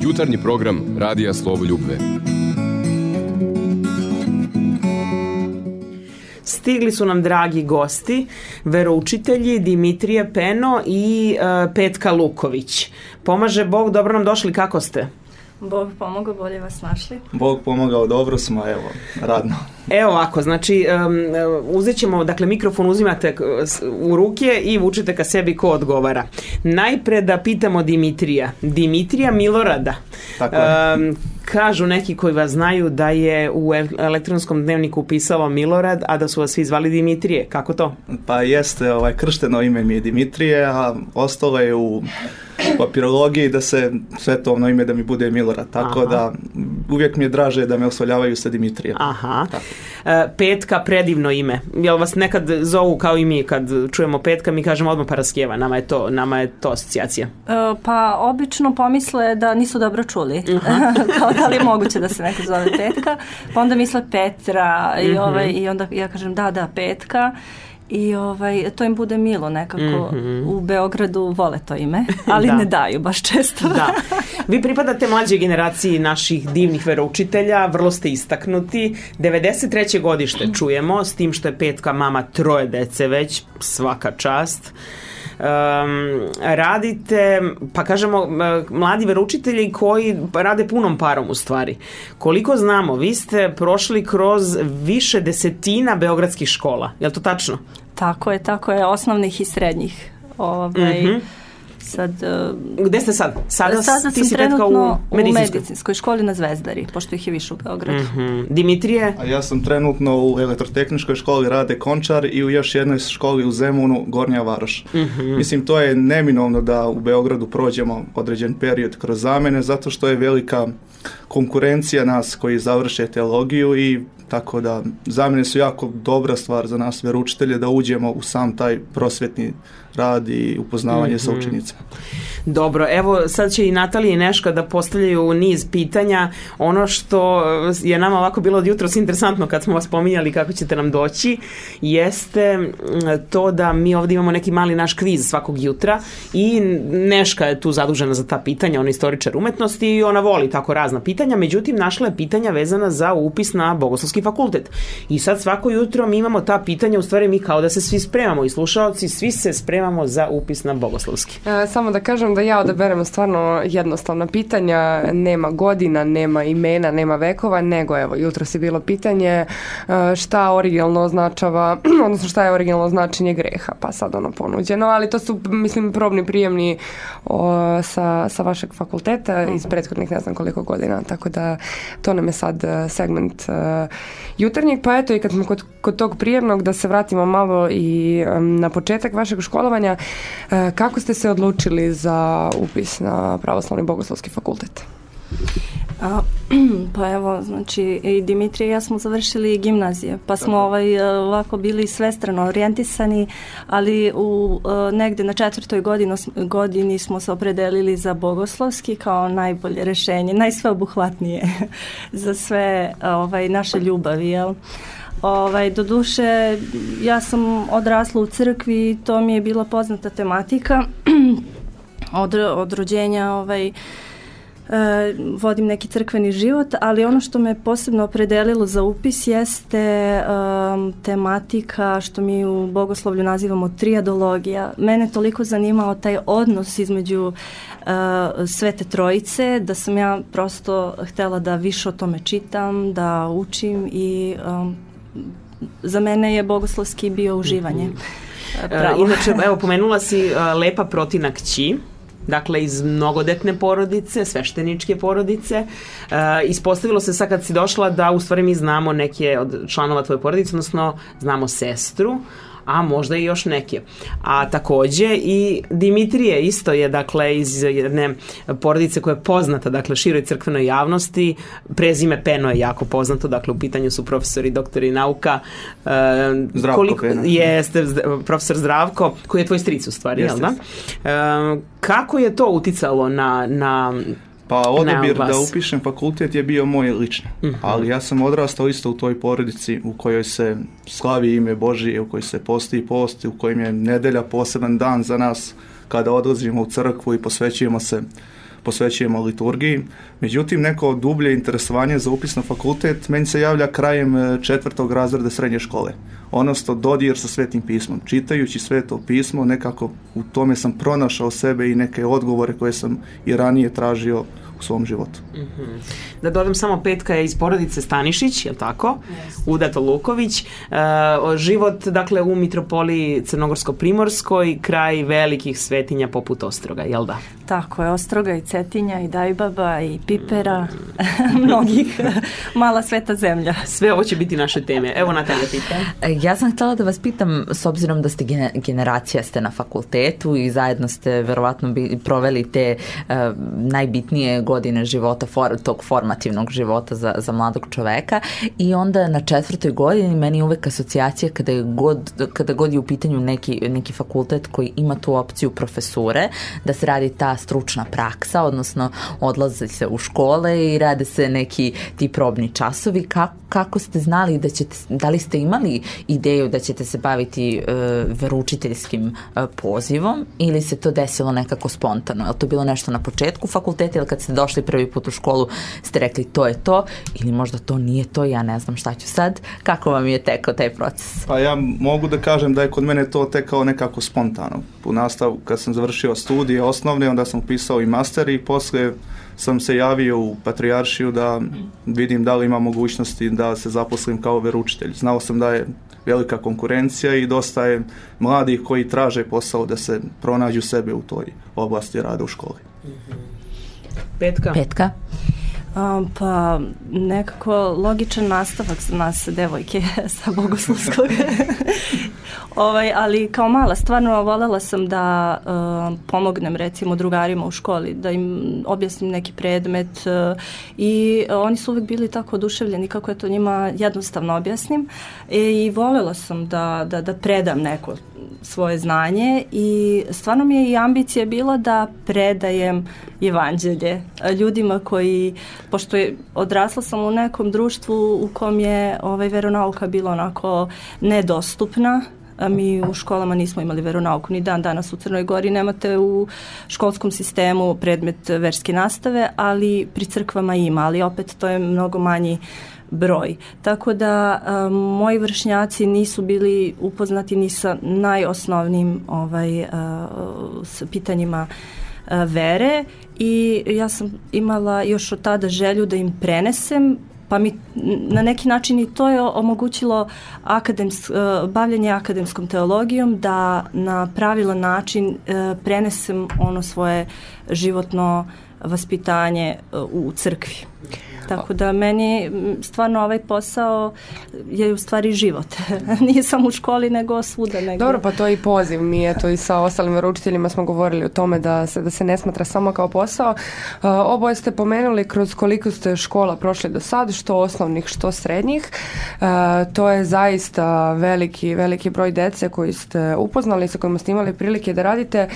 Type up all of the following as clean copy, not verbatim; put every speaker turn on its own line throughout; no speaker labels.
Jutarnji program Radija Slovoljubve.
Stigli su nam dragi gosti, veroučitelji Dimitrije Peno i Petka Luković. Pomaže Bog, dobro nam došli, kako ste?
Bog pomogao, bolje vas našli.
Bog pomogao, dobro smo, evo, radno.
Evo ovako, znači, uzet ćemo, dakle, mikrofon uzimate u ruke i vučete ka sebi ko odgovara. Najpre da pitamo Dimitrija Milorada.
Tako je.
Kažu neki koji vas znaju da je u elektronskom dnevniku pisalo Milorad, a da su vas svi zvali Dimitrije. Kako to?
Pa jeste, kršteno ime mi je Dimitrije, a ostalo je u papirologiji da se svetovno ime da mi bude Milorad. Tako da uvijek mi je draže da me oslovljavaju sa Dimitrijem.
Aha. Petka, predivno ime. Jel vas nekad zovu kao i mi kad čujemo Petka, mi kažemo odmah Paraskeva, nama je to asocijacija.
Pa obično pomisle da nisu dobro čuli. Kao da li je moguće da se neko zove Petka. Pa onda misle Petra i onda ja kažem da, Petka. I to im bude milo nekako. U Beogradu vole to ime, ali ne daju baš često.
Da. Vi pripadate mlađoj generaciji naših divnih veroučitelja, vrlo ste istaknuti. 93. godište čujemo, s tim što je Petka mama 3 dece već, svaka čast. Radite, pa kažemo, mladi veroučitelji koji rade punom parom u stvari. Koliko znamo, vi ste prošli kroz više desetina beogradskih škola, je li to tačno?
Tako je, osnovnih i srednjih.
Gde ste sad?
Sada sam trenutno u medicinskoj školi na Zvezdari, pošto ih je više u Beogradu.
Dimitrije?
A ja sam trenutno u elektrotehničkoj školi Rade Končar i u još jednoj školi u Zemunu, Gornja Varoš. Mislim, to je neminovno da u Beogradu prođemo određen period kroz zamene, zato što je velika konkurencija nas koji završe teologiju i tako da zamene su jako dobra stvar za nas veroučitelje da uđemo u sam taj prosvetni rad i upoznavanje sa učenicima.
Dobro, evo sad će i Natalija i Neška da postavljaju niz pitanja. Ono što je nama ovako bilo od jutros interesantno kad smo vas pominjali kako ćete nam doći, jeste to da mi ovdje imamo neki mali naš kviz svakog jutra i Neška je tu zadužena za ta pitanja, ona je istoričar umetnosti i ona voli tako razna pitanja, međutim našla je pitanja vezana za upis na Bogoslovski fakultet. I sad svako jutro mi imamo ta pitanja, u stvari mi kao da se svi spremamo i slušaoci, svi se spremamo za upis na Bogoslovski.
Samo da kažem da ja odaberemo stvarno jednostavna pitanja, nema godina, nema imena, nema vekova, nego evo, jutros je bilo pitanje šta originalno označava, odnosno šta je originalno značenje greha, pa sad ono ponuđeno, ali to su, mislim, probni prijemni sa vašeg fakulteta iz prethodnih ne znam koliko godina, tako da to nam je sad segment jutarnjeg, pa eto i kad smo kod tog prijemnog da se vratimo malo i na početak vašeg školovanja, kako ste se odlučili za upis na Pravoslavni Bogoslovski fakultet?
Pa evo, znači i Dimitrije i ja smo završili gimnazije, pa smo ovako bili svestrano orijentisani, ali negde na 4. godini smo se opredelili za Bogoslovski kao najbolje rešenje, najsveobuhvatnije za sve naše ljubavi, jel? Doduše, ja sam odrasla u crkvi i to mi je bila poznata tematika. Od rođenja vodim neki crkveni život, ali ono što me posebno opredelilo za upis jeste tematika što mi u bogoslovlju nazivamo triadologija. Mene toliko zanimao taj odnos između Svete Trojice, da sam ja prosto htjela da više o tome čitam, da učim i za mene je bogoslovski bio uživanje.
Inače, evo, pomenula si Lepa Protina kći, dakle iz mnogodetne porodice, svešteničke porodice. Ispostavilo se sad kad si došla da u stvari mi znamo neke od članova tvoje porodice, odnosno znamo sestru, a možda i još neke. A takođe i Dimitrije isto je, dakle, iz jedne porodice koja je poznata, dakle, široj crkvenoj javnosti. Prezime Peno je jako poznato, dakle, u pitanju su profesori, doktori nauka.
Zdravko Peno.
Jeste, profesor Zdravko, koji je tvoj stric u stvari, jel da? Kako je to uticalo na
Pa odabir da upišem fakultet je bio moj lični, ali ja sam odrastao isto u toj porodici u kojoj se slavi ime Božije, u kojoj se posti i posti, u kojim je nedelja poseban dan za nas kada odlazimo u crkvu i posvećujemo se posvećujemo liturgiji. Međutim, neko dublje interesovanje za upis na fakultet meni se javlja krajem 4. razreda srednje škole. Odnosno, dodir sa Svetim pismom. Čitajući Sveto pismo, nekako u tome sam pronašao sebe i neke odgovore koje sam i ranije tražio u svom životu.
Da dodam samo, Petka je iz porodice Stanišić, je li tako? Udato Luković. Život, dakle, u mitropoliji Crnogorsko-Primorskoj, kraj velikih svetinja poput Ostroga, jel da?
Tako je, Ostroga i Cetinja i Dajbaba i Pipera, mnogih, mala sveta zemlja.
Sve ovo će biti naše teme. Evo, Natalija, pitam.
Ja sam htjela da vas pitam, s obzirom da ste generacija ste na fakultetu i zajedno ste verovatno proveli te najbitnije godine života, tog formativnog života za mladog čoveka, i onda na 4. godini meni je uvek asocijacija kada god je u pitanju neki fakultet koji ima tu opciju profesure, da se radi ta stručna praksa, odnosno odlazi se u škole i rade se neki ti probni časovi. Kako ste znali da li ste imali ideju da ćete se baviti veroučiteljskim pozivom, ili se to desilo nekako spontano? Je li to bilo nešto na početku fakulteta, ili kad ste došli prvi put u školu ste rekli to je to, ili možda to nije to, ja ne znam šta ću sad? Kako vam je tekao taj proces?
Pa ja mogu da kažem da je kod mene to tekao nekako spontano. U nastavu, kad sam završio studije osnovne, onda sam upisao i master i poslije sam se javio u Patrijaršiju da vidim da li ima mogućnosti da se zaposlim kao veroučitelj. Znao sam da je velika konkurencija i dosta je mladih koji traže posao da se pronađu sebe u toj oblasti rada u školi.
Petka?
Pa nekako logičan nastavak za nas devojke sa bogoslovskog. Ali kao mala stvarno voljela sam da pomognem recimo drugarima u školi, da im objasnim neki predmet i oni su uvijek bili tako oduševljeni kako je to njima jednostavno objasnim i voljela sam da predam neko svoje znanje i stvarno mi je i ambicija bila da predajem evanđelje ljudima koji, pošto odrasla sam u nekom društvu u kom je veronauka bila onako nedostupna, a mi u školama nismo imali veronauku, ni dan danas u Crnoj Gori nemate u školskom sistemu predmet verske nastave, ali pri crkvama ima, ali opet to je mnogo manji broj. Tako da moji vršnjaci nisu bili upoznati ni sa najosnovnijim s pitanjima vere i ja sam imala još od tada želju da im prenesem, pa mi na neki način i to je omogućilo bavljanje akademskom teologijom, da na pravilan način prenesem ono svoje životno vaspitanje u crkvi. Tako da meni stvarno ovaj posao je u stvari život. Nije samo u školi, nego svuda negdje.
Dobro, pa to je i poziv. Mi eto i sa ostalim veroučiteljima smo govorili o tome da se ne smatra samo kao posao. Oboje ste pomenuli kroz koliko ste škola prošli do sad, što osnovnih, što srednjih. To je zaista veliki broj dece koji ste upoznali, sa kojima ste imali prilike da radite.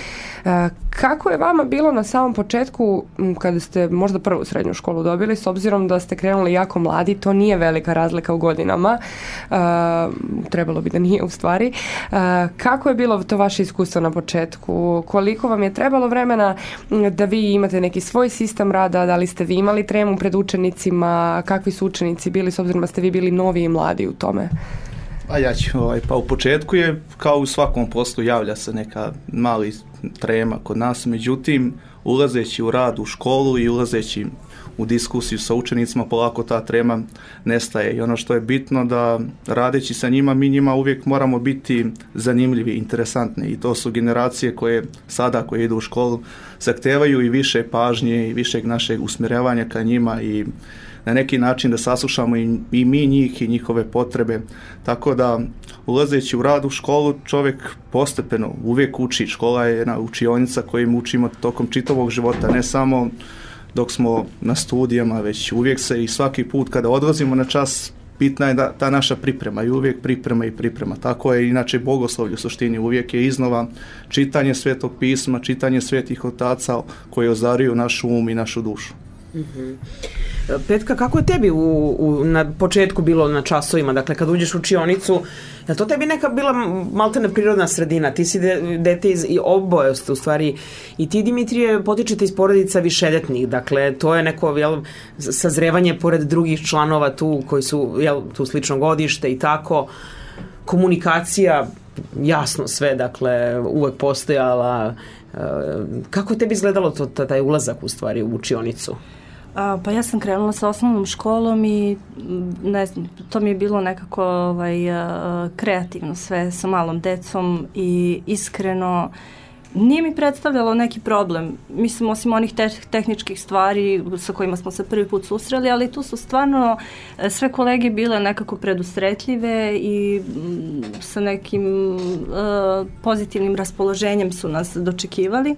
Kako je vama bilo na samom početku kada ste možda prvu srednju školu dobili, s obzirom da ste krenuli jako mladi, to nije velika razlika u godinama, trebalo bi da nije u stvari. Kako je bilo to vaše iskustvo na početku? Koliko vam je trebalo vremena da vi imate neki svoj sistem rada, da li ste vi imali tremu pred učenicima, kakvi su učenici bili, s obzirom da ste vi bili novi i mladi u tome?
A ja ću, pa u početku je kao u svakom poslu javlja se neka mali trema kod nas, međutim ulazeći u rad u školu i ulazeći u diskusiju sa učenicima polako ta trema nestaje i ono što je bitno da radeći sa njima, mi njima uvijek moramo biti zanimljivi, interesantni i to su generacije koje sada koje idu u školu zahtevaju i više pažnje i višeg našeg usmjeravanja ka njima i na neki način da saslušamo i mi njih i njihove potrebe. Tako da ulazeći u rad u školu čovjek postepeno uvijek uči. Škola je jedna učionica kojim učimo tokom čitavog života, ne samo dok smo na studijama, već uvijek se i svaki put kada odlazimo na čas bitna je da ta naša priprema i uvijek priprema. Tako je inače bogoslovlje u suštini, uvijek je iznova čitanje Svetog pisma, čitanje svetih otaca koji ozaruju našu um i našu dušu.
Petka, kako je tebi na početku bilo na časovima, dakle kad uđeš u učionicu, je to tebi neka bila maltene prirodna sredina? Ti si dete i oboje ste u stvari, i ti Dimitrije potičete iz porodica višedetnih, dakle to je neko sazrevanje pored drugih članova tu koji su tu slično godište i tako, komunikacija, jasno sve, dakle uvek postojala. Kako je tebi izgledalo taj ulazak u stvari u učionicu?
Pa ja sam krenula sa osnovnom školom i ne znam, to mi je bilo nekako kreativno sve sa malom decom i iskreno nije mi predstavljalo neki problem. Mislim, osim onih tehničkih stvari sa kojima smo se prvi put susreli, ali tu su stvarno sve kolege bile nekako predusretljive i sa nekim pozitivnim raspoloženjem su nas dočekivali.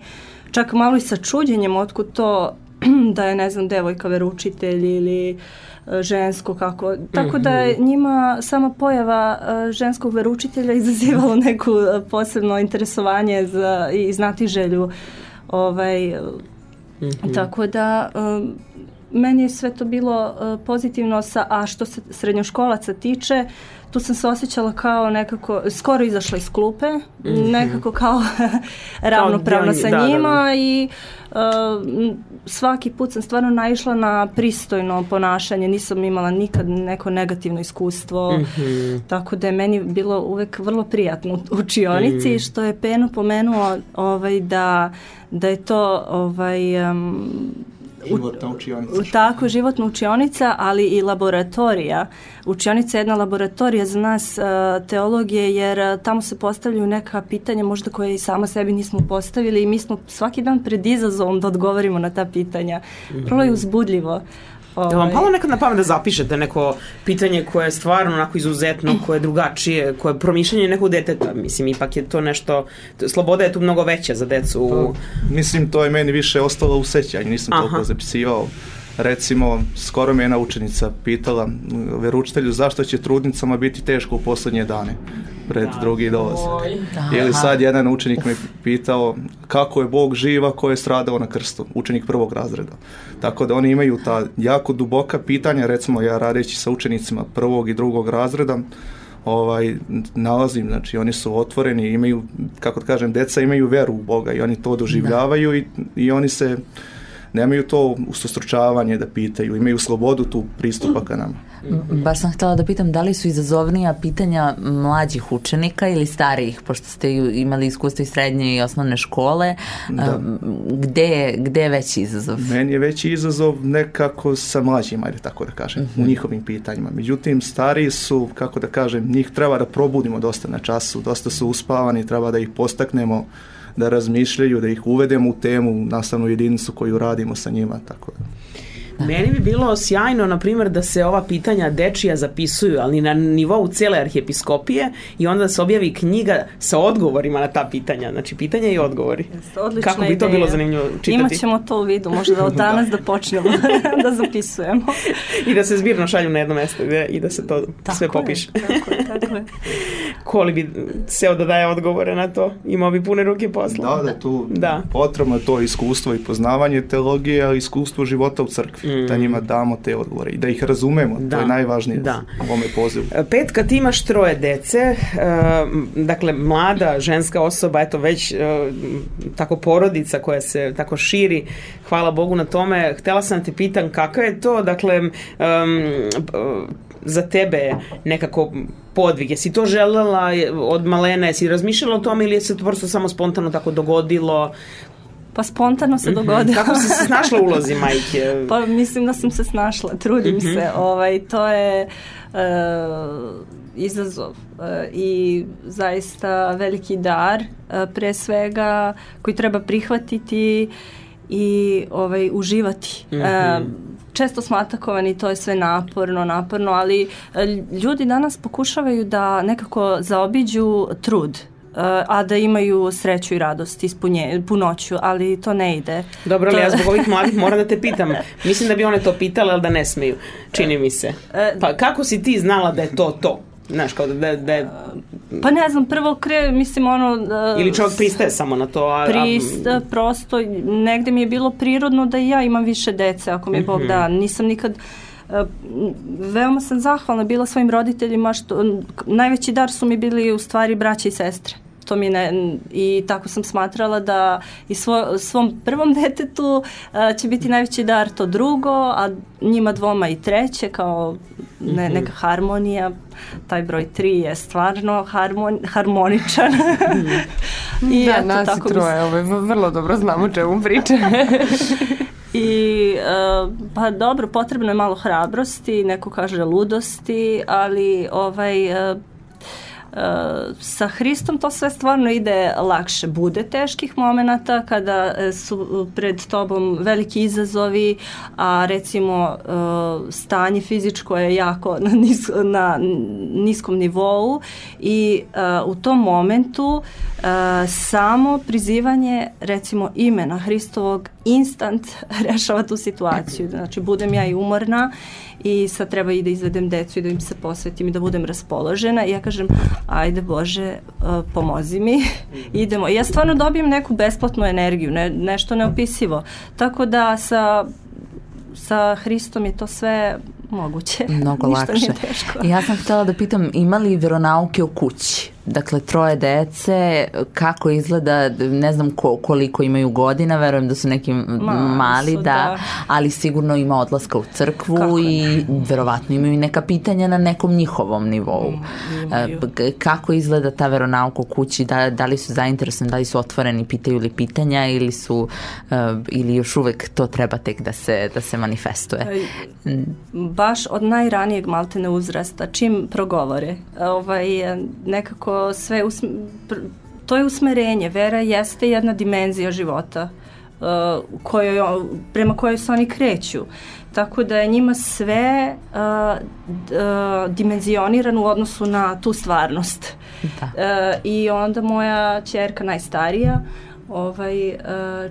Čak malo i sa čuđenjem otkud to da je, ne znam, devojka veroučitelj ili žensko kako. Tako da je njima sama pojava ženskog veroučitelja izazivalo neku posebno interesovanje i znatiželju. Tako da meni je sve to bilo pozitivno, a što se srednjoškolaca tiče, tu sam se osjećala kao nekako, skoro izašla iz klupe, nekako kao ravnopravna sa njima i svaki put sam stvarno naišla na pristojno ponašanje, nisam imala nikad neko negativno iskustvo, tako da je meni bilo uvek vrlo prijatno u učionici, što je Peno pomenuo da je to
životna učionica.
Tako, životna učionica, ali i laboratorija. Učionica je jedna laboratorija za nas teologije, jer tamo se postavljaju neka pitanja možda koje i sama sebi nismo postavili i mi smo svaki dan pred izazovom da odgovorimo na ta pitanja. Vrlo je uzbudljivo.
Da vam palo nekad na pamet da zapišete neko pitanje koje je stvarno onako izuzetno, koje je drugačije, koje je promišljanje nekog deteta? Mislim, ipak je to nešto, sloboda je tu mnogo veća za decu.
Mislim, to je meni više ostalo u sećanju, nisam toliko zapisivao. Recimo, skoro me jedna učenica pitala veroučitelju zašto će trudnicama biti teško u posljednje dane pred drugi dolazak. Ili sad jedan učenik me pitao kako je Bog živ ako je stradao na krstu, učenik prvog razreda. Tako da oni imaju ta jako duboka pitanja, recimo ja radeći sa učenicima prvog i drugog razreda, nalazim, znači oni su otvoreni, imaju, kako da kažem, deca imaju veru u Boga i oni to doživljavaju i oni se nemaju to ustostručavanje da pitaju, imaju slobodu tu pristupa ka nama.
Baš sam htjela da pitam da li su izazovnija pitanja mlađih učenika ili starijih, pošto ste imali iskustvo i srednje i osnovne škole. Gde je veći izazov?
Meni je veći izazov nekako sa mlađima, ajde tako da kažem, u njihovim pitanjima. Međutim, stariji su, kako da kažem, njih treba da probudimo dosta na času, dosta su uspavani, treba da ih postaknemo da razmišljaju, da ih uvedemo u temu, u nastavnu jedinicu koju radimo sa njima, tako da.
Meni bi bilo sjajno, na primjer, da se ova pitanja dečija zapisuju, ali na nivou cijele arhijepiskopije i onda se objavi knjiga sa odgovorima na ta pitanja. Znači, pitanja i odgovori.
Odlična
Kako bi to bilo zanimljivo čitati?
Imat ćemo to u vidu, možda od danas da počnemo da zapisujemo.
I da se zbirno šalju na jedno mjesto i da se to sve popiše.
Tako je.
Koli bi seo da daje odgovore na to, imao bi pune ruke posla.
Da, tu potrebno je to iskustvo i poznavanje teologije, ali iskustvo života u crkvi. Da njima damo te odgovore i da ih razumemo, to je najvažnije u ovome pozivu.
Petka, ti imaš 3 dece, dakle mlada ženska osoba, eto već tako porodica koja se tako širi, hvala Bogu na tome. Htjela sam te pitam kakav je to, dakle za tebe nekako podvig, jesi to željela od malena, jesi razmišljala o tome ili je se to prosto samo spontano tako dogodilo?
Pa spontano se dogodilo.
Kako si se snašla u ulozi majke?
Pa mislim da sam se snašla, trudim se. To je izazov i zaista veliki dar, pre svega koji treba prihvatiti i uživati. Često smo atakovani, to je sve naporno, ali ljudi danas pokušavaju da nekako zaobiđu trud, a da imaju sreću i radost, punoću, ali to ne ide.
Dobro, ali ja zbog ovih mladih moram da te pitam. Mislim da bi one to pitale, ali da ne smiju. Čini mi se. Pa kako si ti znala da je to? Znaš, kao
Pa ne znam, prvo mislim
ili čovjek pristaje samo na to,
prosto negde mi je bilo prirodno da i ja imam više dece, ako mi Bog da. Nisam nikad veoma sam zahvalna bila svojim roditeljima, što najveći dar su mi bili u stvari braća i sestre. To mi i tako sam smatrala da i svom prvom detetu će biti najveći dar to drugo, a njima dvoma i treće, kao neka harmonija. Taj broj 3 je stvarno harmoničan.
I da, nas i troje, vrlo dobro znamo o čemu priče.
I pa dobro, potrebno je malo hrabrosti, neko kaže ludosti, ali sa Hristom to sve stvarno ide lakše. Bude teških momenata kada su pred tobom veliki izazovi, a recimo stanje fizičko je jako na niskom nivou i u tom momentu samo prizivanje recimo imena Hristovog instant rešava tu situaciju. Znači budem ja i umorna i sad treba i da izvedem decu i da im se posvetim i da budem raspoložena i ja kažem ajde Bože pomozi mi, idemo. I ja stvarno dobijem neku besplatnu energiju, nešto neopisivo. Tako da sa Hristom je to sve moguće.
Mnogo lakše. Ja sam htjela da pitam, ima li vjeronauke u kući? Dakle, 3 dece, kako izgleda, ne znam koliko imaju godina, verujem da su neki mali, da, ali sigurno ima odlaska u crkvu i verovatno imaju neka pitanja na nekom njihovom nivou. Kako izgleda ta veronauka u kući, da li su zainteresovani, da li su otvoreni, pitaju li pitanja ili još uvek to treba tek da se manifestuje?
Baš od najranijeg maltene uzrasta, čim progovore, nekako sve to je usmerenje. Vera jeste jedna dimenzija života prema kojoj se oni kreću. Tako da je njima sve dimenzionirano u odnosu na tu stvarnost. I onda moja ćerka najstarija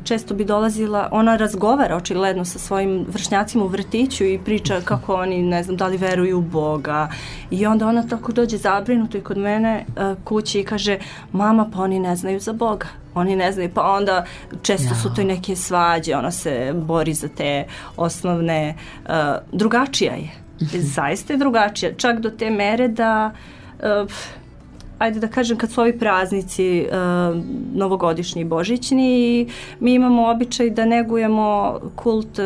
često bi dolazila, ona razgovara očigledno sa svojim vršnjacima u vrtiću i priča kako oni, ne znam, da li veruju u Boga, i onda ona tako dođe zabrinuto i kod mene kući i kaže, mama, pa oni ne znaju za Boga, oni ne znaju, pa onda često su to i neke svađe, ona se bori za te osnovne, drugačija je, zaista je drugačija, čak do te mere da ajde da kažem, kad su ovi praznici novogodišnji i božićni, mi imamo običaj da negujemo kult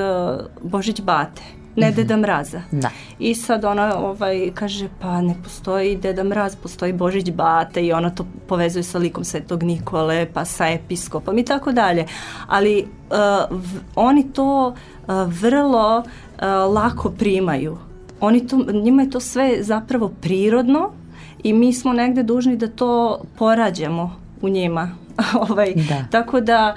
Božić Bate, ne Deda Mraza. Da. I sad ona kaže, pa ne postoji Deda Mraz, postoji Božić Bate, i ona to povezuje sa likom Svetog Nikole, pa sa episkopom i tako dalje. Ali oni to vrlo lako primaju. Njima je to sve zapravo prirodno, i mi smo negde dužni da to porađamo u njima. Tako da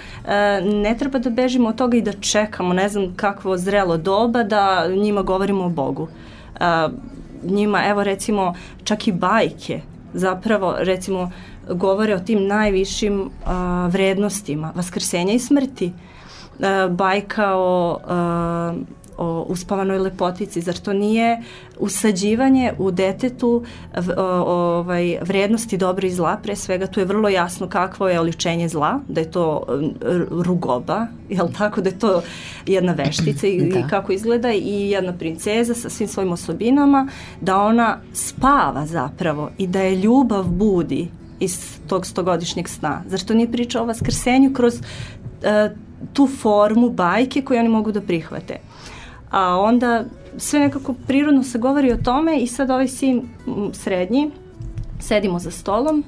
ne treba da bežimo od toga i da čekamo, ne znam kakvo zrelo doba da njima govorimo o Bogu. Njima, evo recimo, čak i bajke zapravo recimo govore o tim najvišim vrednostima vaskrsenja i smrti. Bajka o uspavanoj lepotici, zar to nije usađivanje u detetu vrednosti dobra i zla? Pre svega tu je vrlo jasno kakvo je oličenje zla, da je to rugoba, jel tako, da je to jedna veštica i kako izgleda, i jedna princeza sa svim svojim osobinama, da ona spava zapravo i da je ljubav budi iz tog 100-godišnjeg sna. Zar to nije priča o vaskrsenju kroz tu formu bajke koju oni mogu da prihvate? A onda sve nekako prirodno se govori o tome, i sad ovaj sin srednji, sedimo za stolom,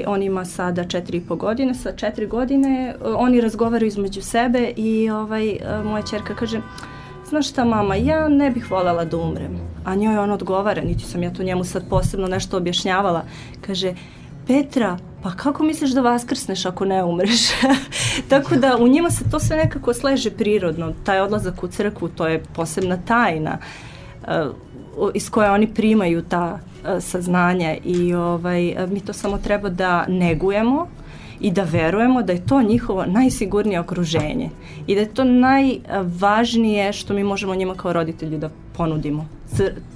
on ima sada 4,5 godine, sa 4 godine oni razgovaraju između sebe i moja ćerka kaže, znaš šta mama, ja ne bih voljela da umrem. A njoj on odgovara, niti sam ja to njemu sad posebno nešto objašnjavala, kaže, Petra, pa kako misliš da vaskrsneš ako ne umreš? Tako da u njima se to sve nekako sleže prirodno. Taj odlazak u crkvu, to je posebna tajna iz koje oni primaju ta saznanja, i mi to samo treba da negujemo i da verujemo da je to njihovo najsigurnije okruženje i da je to najvažnije što mi možemo njima kao roditelji da ponudimo,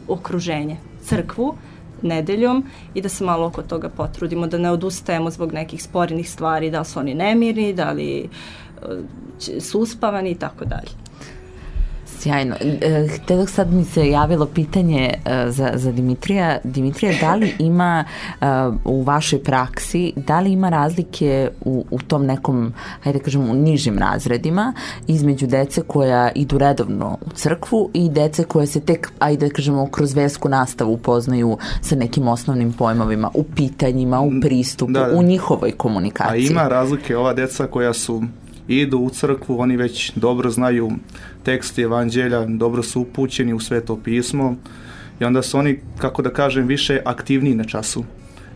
okruženje, crkvu, nedeljom i da se malo oko toga potrudimo, da ne odustajemo zbog nekih sporenih stvari, da li su oni nemirni, da li su uspavani i tako dalje.
Sjajno. Dok sad mi se javilo pitanje za Dimitrija. Dimitrija, da li ima u vašoj praksi, da li ima razlike u tom nekom, hajde kažem, u nižim razredima između dece koja idu redovno u crkvu i dece koje se tek, ajde kažemo, kroz versku nastavu upoznaju sa nekim osnovnim pojmovima, u pitanjima, u pristupu, u njihovoj komunikaciji?
A ima razlike. Ova deca koja idu u crkvu, oni već dobro znaju tekst evanđelja, dobro su upućeni u Sveto pismo i onda su oni, kako da kažem, više aktivniji na času.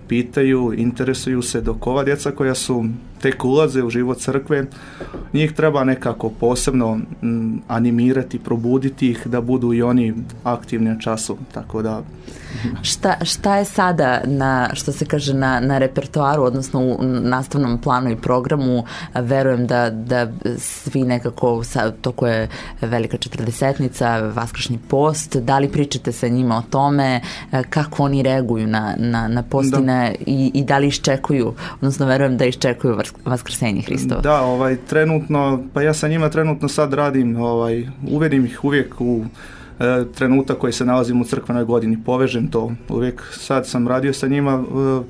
Pitaju, interesuju se, dok ova djeca koja su tek ulaze u život crkve, njih treba nekako posebno animirati, probuditi ih da budu i oni aktivni na času, tako da...
Šta je sada što se kaže na repertoaru, odnosno u nastavnom planu i programu? Verujem da svi nekako, toko je Velika četrdesetnica, Vaskršnji post, da li pričate sa njima o tome, kako oni reaguju na postine i da li iščekuju, odnosno verujem da iščekuju Vaskrsenje Hristova?
Da, trenutno, pa ja sa njima trenutno sad radim, uvedim ih uvijek u trenutak koji se nalazim u crkvenoj godini, povežem to. Uvijek sad sam radio sa njima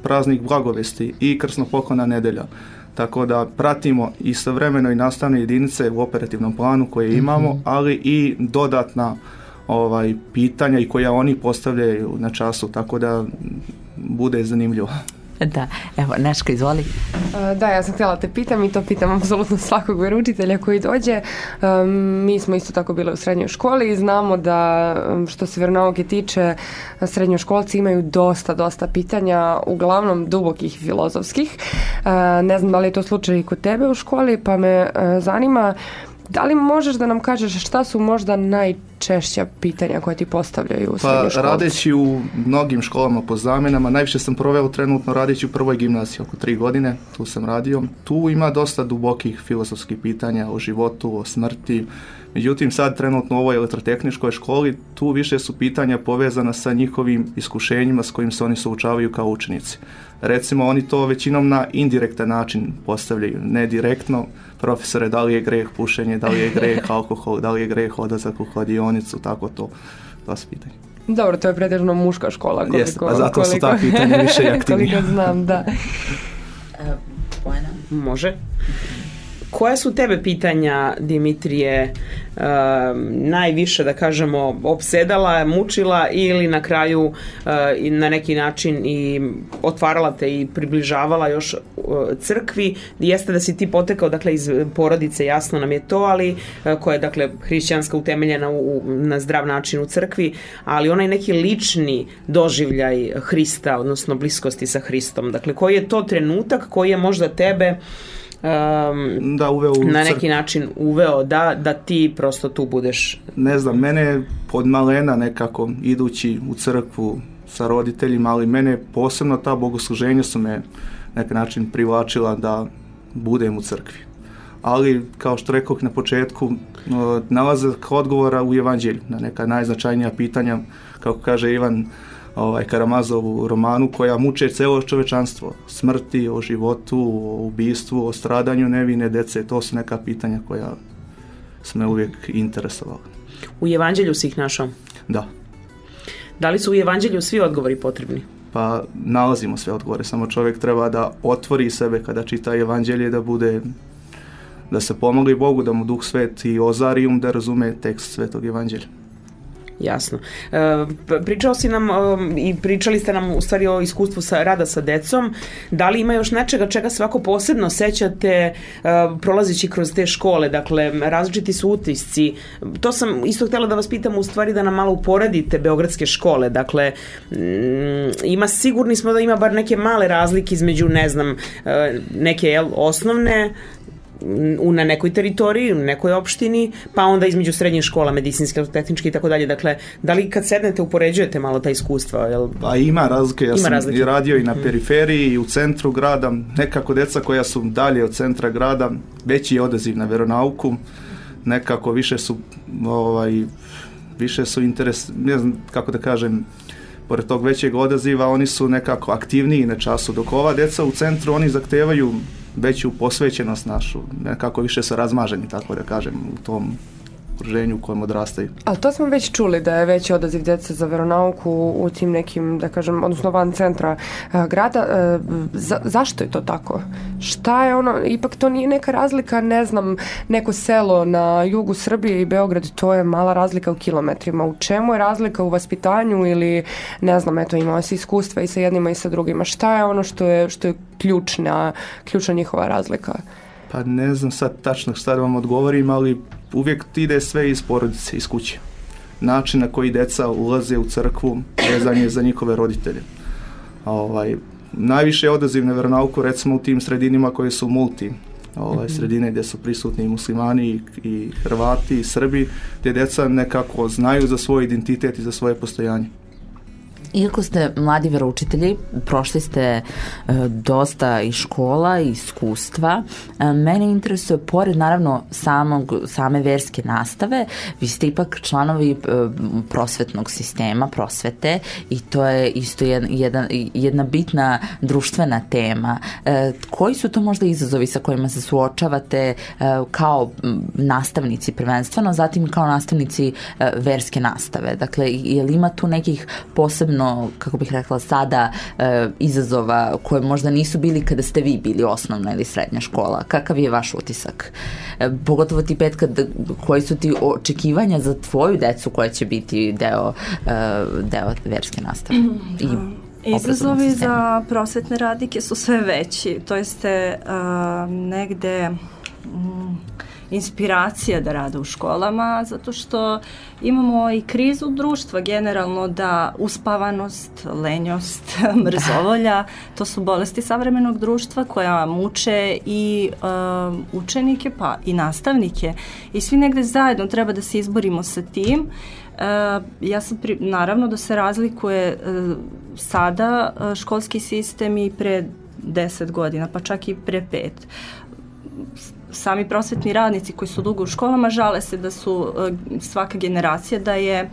praznik Blagovesti i Krsnopoklona nedelja. Tako da pratimo istovremeno i nastavne jedinice u operativnom planu koje imamo, ali i dodatna pitanja i koja oni postavljaju na času, tako da bude zanimljivo.
Da, evo, Neška, izvoli.
Da, ja sam htjela te pitam i to pitam apsolutno svakog vjeroučitelja koji dođe. Mi smo isto tako bili u srednjoj školi i znamo da što se vjeronauke tiče, srednjoškolci imaju dosta pitanja, uglavnom dubokih filozofskih. Ne znam da li je to slučaj i kod tebe u školi, pa me zanima da li možeš da nam kažeš šta su možda najčešća pitanja koje ti postavljaju u srednjoj školi? Pa
radeći u mnogim školama po zamjenama, najviše sam proveo trenutno radeći u prvoj gimnaziji, oko 3 godine, tu sam radio. Tu ima dosta dubokih filozofskih pitanja o životu, o smrti. Međutim, sad trenutno u ovoj elektrotehničkoj školi, tu više su pitanja povezana sa njihovim iskušenjima s kojim se oni suočavaju kao učenici. Recimo, oni to većinom na indirektan način postavljaju, ne direktno. Profesore, da li je greh pušenje, da li je greh alkohol, da li je greh odlazak u kladionicu, tako to su pitanja.
Dobro, to je pretežno muška škola.
Jeste, pa zato su ta pitanja više i aktivnija.
Koliko znam, da.
Može. Koja su tebe pitanja, Dimitrije, najviše, da kažemo, opsedala, mučila ili na kraju na neki način i otvarala te i približavala još crkvi? Jeste da si ti potekao, dakle, iz porodice, jasno nam je to, ali koja je, dakle, hrišćanska, utemeljena na zdrav način u crkvi, ali onaj neki lični doživljaj Hrista, odnosno bliskosti sa Hristom. Dakle, koji je to trenutak koji je možda tebe na neki način uveo da ti prosto tu budeš?
Ne znam, mene od malena nekako idući u crkvu sa roditeljima, ali mene posebno ta bogosluženja su me na neki način privlačila da budem u crkvi. Ali, kao što rekoh na početku, nalazak odgovora u evanđelju na neka najznačajnija pitanja, kako kaže Ivan Karamazov u romanu, koja muče celo čovečanstvo. Smrti, o životu, o ubistvu, o stradanju nevine dece. To su neka pitanja koja su me uvijek interesovala.
U evanđelju si ih našao?
Da.
Da li su u evanđelju svi odgovori potrebni?
Pa nalazimo sve odgovore, samo čovjek treba da otvori sebe kada čita evanđelje, da se pomogli Bogu, da mu Duh Sveti ozari da razume tekst Svetog evanđelja.
Jasno. Pričao si nam i pričali ste nam u stvari o iskustvu rada sa decom. Da li ima još nečega čega se ovako posebno sećate prolazeći kroz te škole? Dakle, različiti su utisci. To sam isto htjela da vas pitam, u stvari da nam malo uporedite beogradske škole. Dakle, sigurni smo da ima bar neke male razlike između, ne znam, neke osnovne na nekoj teritoriji, u nekoj opštini, pa onda između srednjih škola, medicinske, tehničke i tako dalje. Dakle, da li kad sednete upoređujete malo ta iskustva?
Pa ima razlike. Ja sam i radio i na periferiji i u centru grada. Nekako deca koja su dalje od centra grada, veći je odaziv na veronauku. Nekako više su interes, ne znam kako da kažem, pored tog većeg odaziva, oni su nekako aktivniji na času, dok ova deca u centru, oni zahtevaju veću posvećenost našu, nekako više su razmaženi, tako da kažem, u tom okruženju u kojem odrastaju.
Ali to smo već čuli da je veći odaziv djece za veronauku u tim nekim, da kažem, odnosno van centra grada. Zašto je to tako? Šta je ono, ipak to nije neka razlika, ne znam, neko selo na jugu Srbije i Beograd, to je mala razlika u kilometrima. U čemu je razlika u vaspitanju ili, ne znam, eto, imao se iskustva i sa jednima i sa drugima. Šta je ono što je ključna njihova razlika?
Pa ne znam sad tačno šta da vam odgovorim, ali uvijek ide sve iz porodice, iz kuće. Način na koji deca ulaze u crkvu vezan je za njihove roditelje. Najviše je odaziv na veronauku recimo u tim sredinima koje su multi. Sredine gdje su prisutni i muslimani i Hrvati i Srbi, gdje deca nekako znaju za svoj identitet i za svoje postojanje.
Iako ste mladi veroučitelji, prošli ste dosta i škola i iskustva, mene interesuje, pored naravno same verske nastave, vi ste ipak članovi prosvetnog sistema, prosvete, i to je isto jedna bitna društvena tema. Koji su to možda izazovi sa kojima se suočavate kao nastavnici prvenstveno, zatim kao nastavnici verske nastave? Dakle, je li ima tu nekih posebno, kako bih rekla sada, izazova koje možda nisu bili kada ste vi bili osnovna ili srednja škola? Kakav je vaš utisak? Pogotovo ti, Petka, koji su ti očekivanja za tvoju decu koja će biti deo verske nastave?
Izazovi za prosvetne radnike su sve veći. To jeste negde inspiracija da rade u školama, zato što imamo i krizu društva generalno, da uspavanost, lenjost, mrzovolja, to su bolesti savremenog društva koja muče i učenike pa i nastavnike, i svi negde zajedno treba da se izborimo sa tim. Ja sam naravno da se razlikuje sada školski sistem i pre 10 godina, pa čak i pre 5. Sami prosvetni radnici koji su dugo u školama žale se da su svaka generacija da je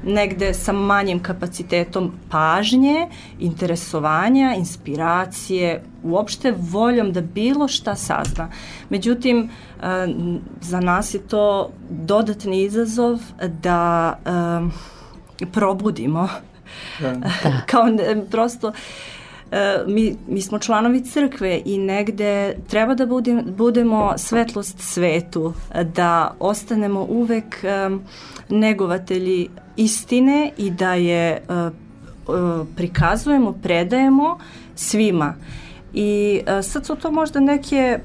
negde sa manjim kapacitetom pažnje, interesovanja, inspiracije, uopšte voljom da bilo šta sazna. Međutim, za nas je to dodatni izazov da probudimo. Kao prosto mi smo članovi crkve i negde treba da budemo svetlost svetu, da ostanemo uvek negovatelji istine i da je prikazujemo, predajemo svima. I sad su to možda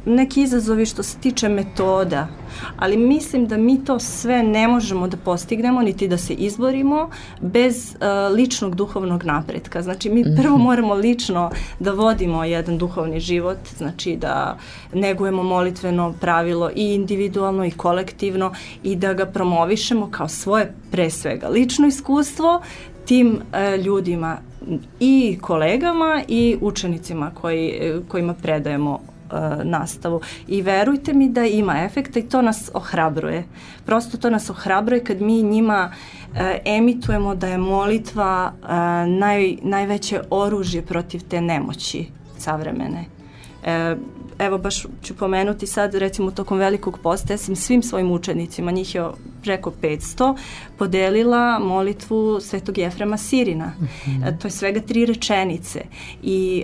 neki izazovi što se tiče metoda, ali mislim da mi to sve ne možemo da postignemo niti da se izborimo bez ličnog duhovnog napretka. Znači mi prvo moramo lično da vodimo jedan duhovni život, znači da negujemo molitveno pravilo i individualno i kolektivno i da ga promovišemo kao svoje pre svega lično iskustvo tim ljudima i kolegama i učenicima kojima predajemo nastavu. I verujte mi da ima efekta i to nas ohrabruje. Prosto to nas ohrabruje kad mi njima emitujemo da je molitva najveće oružje protiv te nemoći savremene. Evo baš ću pomenuti sad, recimo tokom Velikog posta, ja sam svim svojim učenicima, njih je preko 500, podelila molitvu Svetog Jefrema Sirina. To je svega 3 rečenice i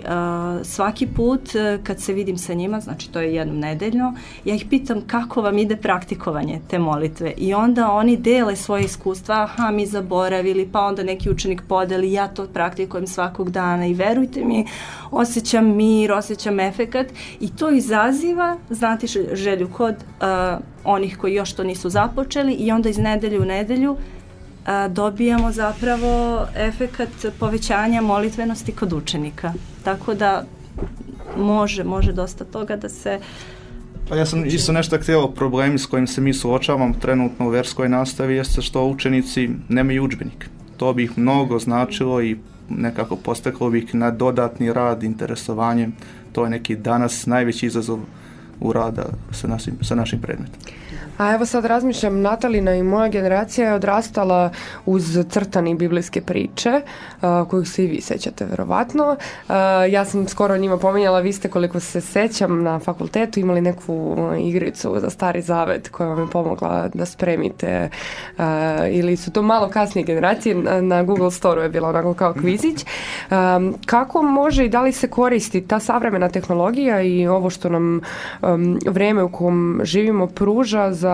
svaki put kad se vidim sa njima, znači to je jednom nedeljno, ja ih pitam kako vam ide praktikovanje te molitve i onda oni dele svoje iskustva, mi zaboravili, pa onda neki učenik podeli, ja to praktikujem svakog dana i verujte mi, osjećam mir, osjećam efekat i to izaziva, znate, želju kod onih koji još to nisu započeli i onda iz nedelje u nedelju dobijamo zapravo efekat povećanja molitvenosti kod učenika. Tako da može dosta toga da se...
Pa ja sam isto nešto htio, problemi s kojim se mi suočavamo trenutno u verskoj nastavi jeste što učenici nemaju udžbenik. To bi ih mnogo značilo i nekako postaklo bi ih na dodatni rad, interesovanje. To je neki danas najveći izazov u rada sa našim predmetom.
A evo sad razmišljam, Natalina i moja generacija je odrastala uz crtani biblijske priče, koju se i vi sećate verovatno. Ja sam skoro njima pominjala, vi ste, koliko se sećam, na fakultetu imali neku igricu za Stari Zavet koja vam je pomogla da spremite, ili su to malo kasnije generacije, na Google Store-u je bila onako kao kvizić. Kako može i da li se koristi ta savremena tehnologija i ovo što nam vreme u kom živimo pruža za,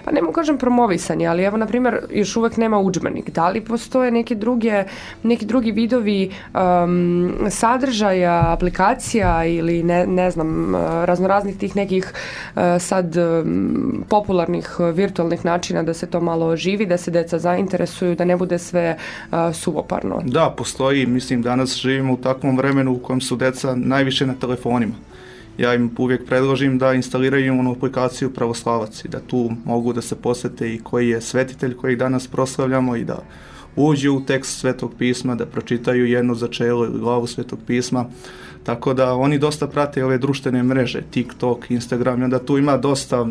pa ne mogu kažem promovisanje, ali evo na primjer još uvek nema udžbenik. Da li postoje neki drugi vidovi sadržaja, aplikacija ili ne znam, raznoraznih tih nekih sad popularnih virtualnih načina da se to malo oživi, da se deca zainteresuju, da ne bude sve suvoparno?
Da, postoji. Mislim, danas živimo u takvom vremenu u kojem su deca najviše na telefonima. Ja im uvijek predložim da instaliraju onu aplikaciju Pravoslavac i da tu mogu da se posvete i koji je svetitelj kojeg danas proslavljamo i da uđu u tekst Svetog pisma, da pročitaju jedno začelo ili glavu Svetog pisma. Tako da oni dosta prate ove društvene mreže, TikTok, Instagram, i onda tu ima dosta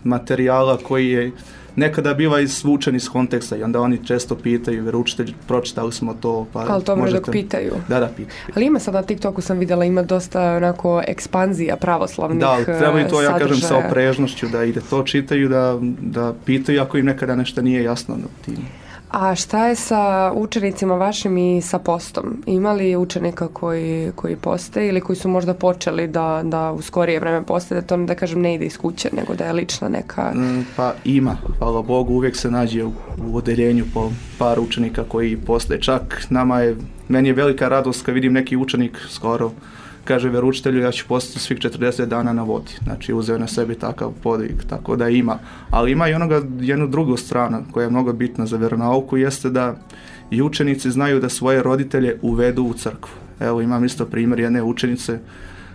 materijala koji je nekada biva izvučen iz konteksta i onda oni često pitaju, veroučitelj, pročitali smo to, pa
ali to možete... dok pitaju.
Da, pitaju.
Ali ima sad na TikToku, sam vidjela, ima dosta onako ekspanzija pravoslavnih sadržaja.
Da, treba i to, ja kažem, sa oprežnošću, da ide to čitaju, da pitaju ako im nekada nešto nije jasno na tim.
A šta je sa učenicima vašim i sa postom? Ima li učenika koji poste ili koji su možda počeli da u skorije vreme poste, da to, da kažem, ne ide iz kuće, nego da je lična neka...
Pa ima, hvala Bogu, uvijek se nađe u odeljenju po par učenika koji poste. Čak meni je velika radost kad vidim neki učenik skoro kaže veroučitelju, ja ću postati svih 40 dana na vodi. Znači, uzeo na sebi takav podvig, tako da ima. Ali ima i jednu drugu stranu koja je mnogo bitna za vjeronauku, jeste da i učenici znaju da svoje roditelje uvedu u crkvu. Evo, imam isto primjer jedne učenice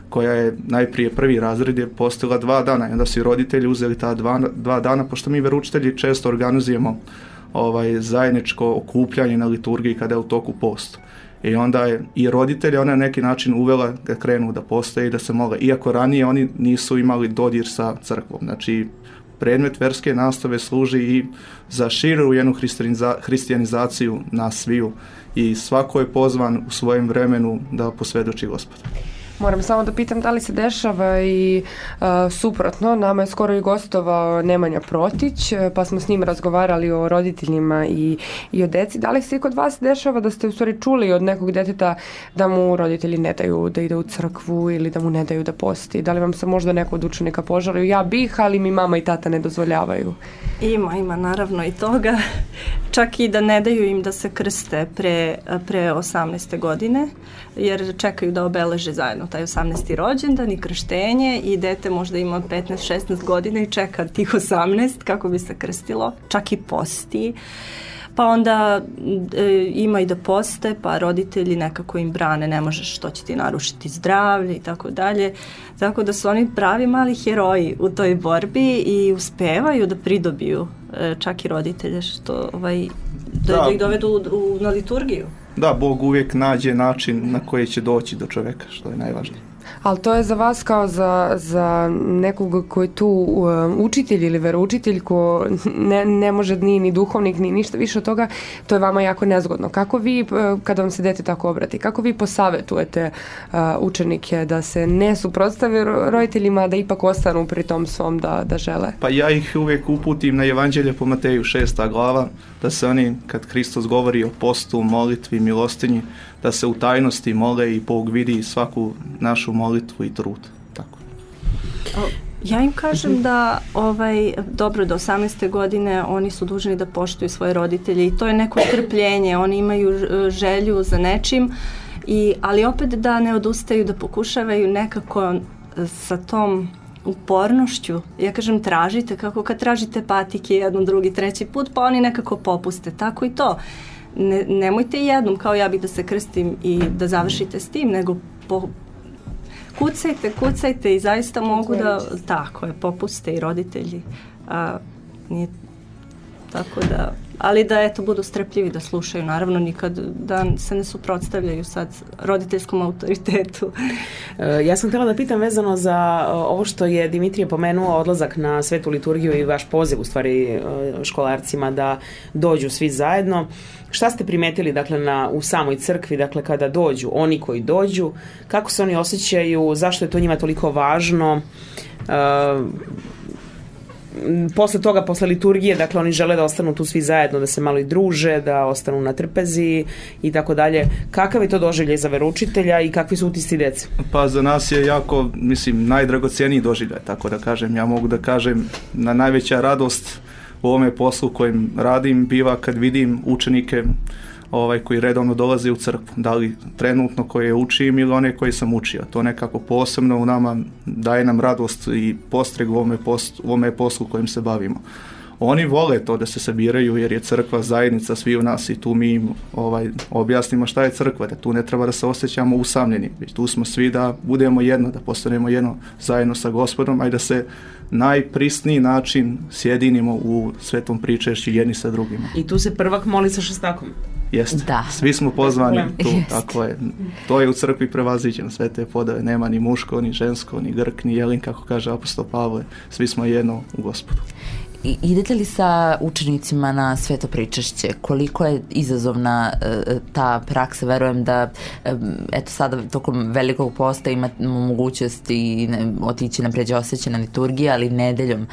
koja je najprije prvi razred je postila 2 dana i onda su i roditelji uzeli ta 2 dana, pošto mi veroučitelji često organizujemo zajedničko okupljanje na liturgiji kada je u toku postu. I onda je i roditelje ona na neki način uvela da krenu da poste i da se mole. Iako ranije oni nisu imali dodir sa crkvom. Znači, predmet verske nastave služi i za širu jednu hrišćanizaciju nas sviju. I svako je pozvan u svojem vremenu da posvjedoči Gospoda.
Moram samo da pitam da li se dešava i suprotno. Nama je skoro i gostovao Nemanja Protić, pa smo s njim razgovarali o roditeljima i o deci. Da li se i kod vas dešava da ste u stvari čuli od nekog deteta da mu roditelji ne daju da ide u crkvu ili da mu ne daju da posti? Da li vam se možda neko od učenika požalio? Ja bih, ali mi mama i tata ne dozvoljavaju.
Ima naravno i toga. Čak i da ne daju im da se krste pre 18. godine, jer čekaju da obeleže zajedno taj 18. rođendan i krštenje i dete možda ima 15-16 godina i čeka tih 18 kako bi se krstilo, čak i posti. Pa onda ima i da poste, pa roditelji nekako im brane, ne možeš, to će ti narušiti zdravlje i tako dalje. Tako da su oni pravi mali heroji u toj borbi i uspevaju da pridobiju čak i roditelje, što da ih dovedu na liturgiju.
Da, Bog uvijek nađe način na koji će doći do čovjeka, što je najvažnije.
Ali to je za vas kao za nekog koji je tu učitelj ili veroučitelj ko ne može ni duhovnik ni ništa više od toga, to je vama jako nezgodno. Kako vi, kada vam se dete tako obrati, kako vi posavetujete učenike da se ne suprotstave roditeljima, da ipak ostanu pri tom svom da žele?
Pa ja ih uvijek uputim na Evanđelje po Mateju 6. glava, da se oni, kad Hristos govori o postu, molitvi, milostinji, da se u tajnosti mole i Bog vidi svaku našu molitvu i trud. Tako.
Ja im kažem da dobro, do 18. godine oni su dužni da poštuju svoje roditelje i to je neko strpljenje, oni imaju želju za nečim, ali opet da ne odustaju, da pokušavaju nekako sa tom upornošću. Ja kažem, tražite, kako kad tražite patike jednom, drugi, treći put, pa oni nekako popuste. Tako i to. Nemojte jednom, kao ja bih da se krstim i da završite s tim, nego kucajte i zaista mogu da, tako je, popuste i roditelji. Nije tako da, ali da eto budu strpljivi da slušaju, naravno nikad da se ne suprotstavljaju sad roditeljskom autoritetu.
Ja sam htjela da pitam vezano za ovo što je Dimitrije pomenuo, odlazak na svetu liturgiju i vaš poziv u stvari školarcima da dođu svi zajedno. Šta ste primetili dakle u samoj crkvi, dakle kada dođu, oni koji dođu, kako se oni osjećaju, zašto je to njima toliko važno? Posle toga, posle liturgije, dakle oni žele da ostanu tu svi zajedno, da se malo i druže, da ostanu na trpezi i tako dalje. Kakav je to doživljaj za veroučitelja i kakvi su utisci dece?
Pa za nas je jako, najdragocijeniji doživljaj, tako da kažem. Ja mogu da kažem, na najveća radost u ovome poslu kojim radim biva kad vidim učenike koji redovno dolaze u crkvu, da li trenutno koje učim ili one koje sam učio. To nekako posebno u nama daje nam radost i postreg u ovome poslu kojim se bavimo. Oni vole to da se sabiraju jer je crkva zajednica svi u nas i tu mi im objasnimo šta je crkva, da tu ne treba da se osjećamo usamljeni, već tu smo svi da budemo jedno, da postanemo jedno zajedno sa Gospodom, a i da se najprisniji način sjedinimo u svetom pričešću jedni sa drugima.
I tu se prvak moli sa šestakom.
Jeste, svi smo pozvani tu, tako je. To je u crkvi prevaziđeno, sve te podave, nema ni muško, ni žensko, ni Grk, ni Jelin, kako kaže apostol Pavle, svi smo jedno u Gospodu.
Idete li sa učenicima na sveto pričešće? Koliko je izazovna ta praksa? Verujem da eto sada tokom velikog posta imamo mogućnost i otići na pređeosvećena liturgija, ali nedeljom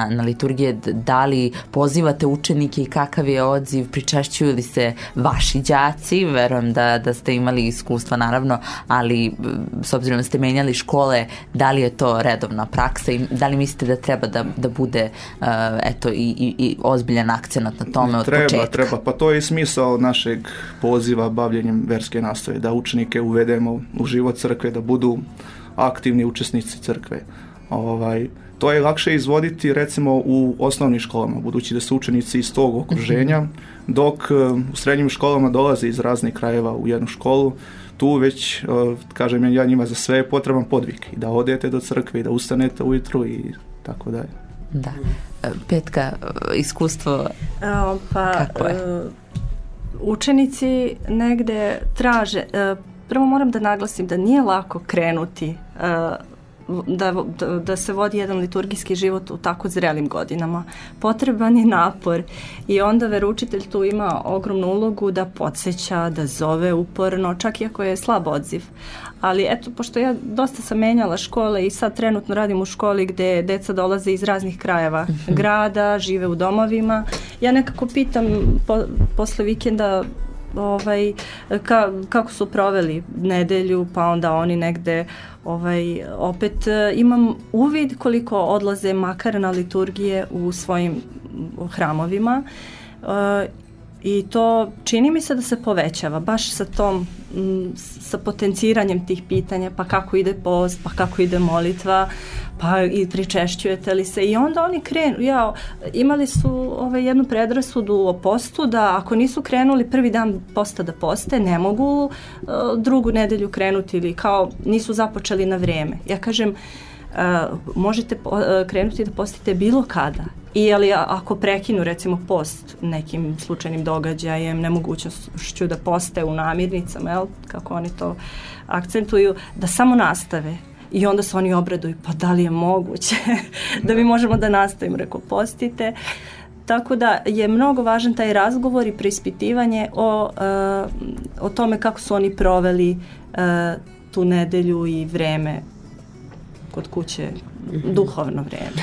na liturgije. Da li pozivate učenike i kakav je odziv? Pričešćuju li se vaši đaci? Verujem da ste imali iskustva naravno, ali s obzirom da ste menjali škole, da li je to redovna praksa i da li mislite da treba da bude eto i ozbiljan akcenat na tome od početka?
Treba, pa to je i smisao našeg poziva bavljenjem verske nastave, da učenike uvedemo u život crkve, da budu aktivni učesnici crkve. To je lakše izvoditi recimo u osnovnim školama, budući da su učenici iz tog okruženja, dok u srednjim školama dolaze iz raznih krajeva u jednu školu. Tu već, kažem ja njima za sve je potreban podvig i da odete do crkve i da ustanete ujutru i tako dalje.
Da. Petka, iskustvo kako je?
Učenici negde traže, prvo moram da naglasim da nije lako krenuti da se vodi jedan liturgijski život u tako zrelim godinama. Potreban je napor i onda veroučitelj tu ima ogromnu ulogu da podsjeća, da zove uporno, čak i ako je slab odziv. Ali eto, pošto ja dosta sam menjala škole i sad trenutno radim u školi gde deca dolaze iz raznih krajeva grada, žive u domovima, ja nekako pitam posle vikenda kako su proveli nedelju, pa onda oni negde opet imam uvid koliko odlaze makar na liturgije u svojim hramovima i to čini mi se da se povećava baš sa potenciranjem tih pitanja, pa kako ide post, pa kako ide molitva, pa i pričešćujete li se, i onda oni krenu. Imali su jednu predrasudu o postu da ako nisu krenuli prvi dan posta da poste, ne mogu drugu nedelju krenuti ili kao nisu započeli na vreme. Ja kažem, možete krenuti da postite bilo kada. Ali ako prekinu recimo post nekim slučajnim događajem, nemogućnošću da poste u namirnicama, kako oni to akcentuju, da samo nastave. I onda se oni obraduju, pa da li je moguće da mi možemo da nastavimo, rekao postite. Tako da je mnogo važan taj razgovor i preispitivanje o tome kako su oni proveli tu nedelju i vreme kod kuće, duhovno vreme.